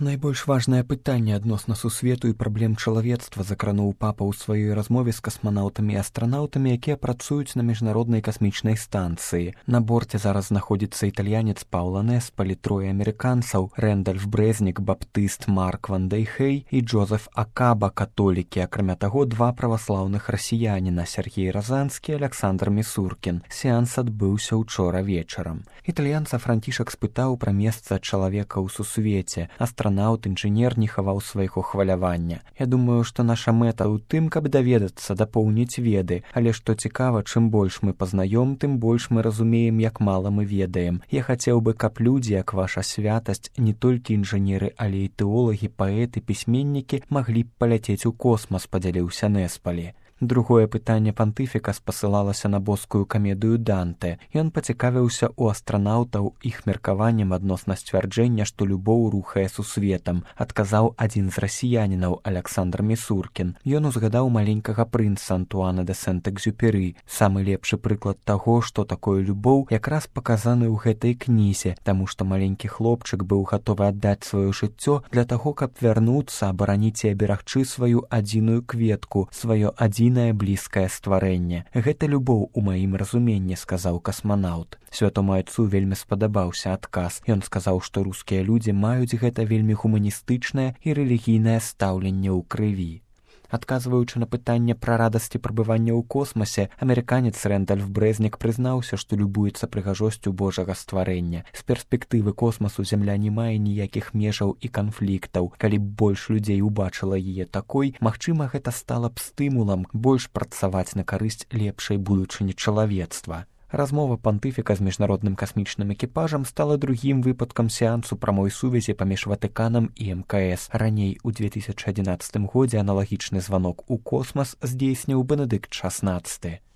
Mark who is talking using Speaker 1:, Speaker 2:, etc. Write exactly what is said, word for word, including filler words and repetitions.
Speaker 1: Найбольш важнае пытанне адносна сусвету і праблем чалавецтва закрануў папа ў сваёй размове з касманаўтамі і астранаўтамі, якія працуюць на міжнароднай касмічнай станцыі. На борце зараз знаходзіцца італьянец Паўла Неспалі, трое амерыканцаў: Рэндальф Брэзнік, баптыст Марк Ван Дейхей і Джозеф Акаба, католікі. Акрамя таго, два праваслаўных расіяніна: Сергей Разанскі, Аляксандр Місуркін. Сеанс адбыўся ўчора вечарам. Італьянца Францішак спытаў пра месца чалавека ў сусвеце. Астранаўт, інжынер не хаваў свайго хвалявання. Я думаю, што наша мэта ў тым, каб даведацца, дапоўніць веды, але што цікава, чым больш мы пазнаём, тым больш мы разумеем, як мала мы ведаем. Я хацеў бы, каб людзі, як ваша святасць, не толькі інжынеры, але і тэолагі, паэты, пісьменнікі маглі б паляцець у космас, падзяліўся Неспалі. Другое пытанне пантыфіка спасылалася на боскую камедыю Данте. Ён пацікавіўся ў астранаўтаў іх меркаваннем адносна сцвярджэння, што любоў рухае сусветам. Адказаў адзін з расіянінаў, Аляксандр Місуркін. Ён узгадаў маленькага прынца Антуана де Сент-Экзюпері. Самы лепшы прыклад таго, што такое любоў, якраз паказаны ў гэтай кнізе, таму што маленькі хлопчык быў гатовы аддаць сваё жыццё для таго, каб вярнуцца, абараніць і аберагчы сваю адзіную кветку, сваё адзінае блізкае стварэнне. Гэта любоў у маім разуменні, сказаў касманаўт. Святому айцу вельмі спадабаўся адказ. Ён сказаў, што рускія людзі маюць гэта вельмі гуманістычнае і рэлігійнае стаўленне ў крыві. Адказваючы на пытанне пра радасці прабывання ў космасе, амерыканец Рэндальф Брэзнік прызнаўся, што любуецца прыгажосцю Божага стварэння. З перспектывы космасу зямля не мае ніякіх межаў і канфліктаў. Калі б больш людзей убачыла яе такой, магчыма, гэта стала б стымулам больш працаваць на карысць лепшай будучыні чалавецтва. Размова пантыфіка з міжнародным касмічным экіпажам стала другім выпадкам сеансу прамой сувязі паміж Ватыканам і эм ка эс. Раней у две тысячы адзінаццатым годзе аналагічны званок у космас здзейсніў Бенедыкт шаснаццаты.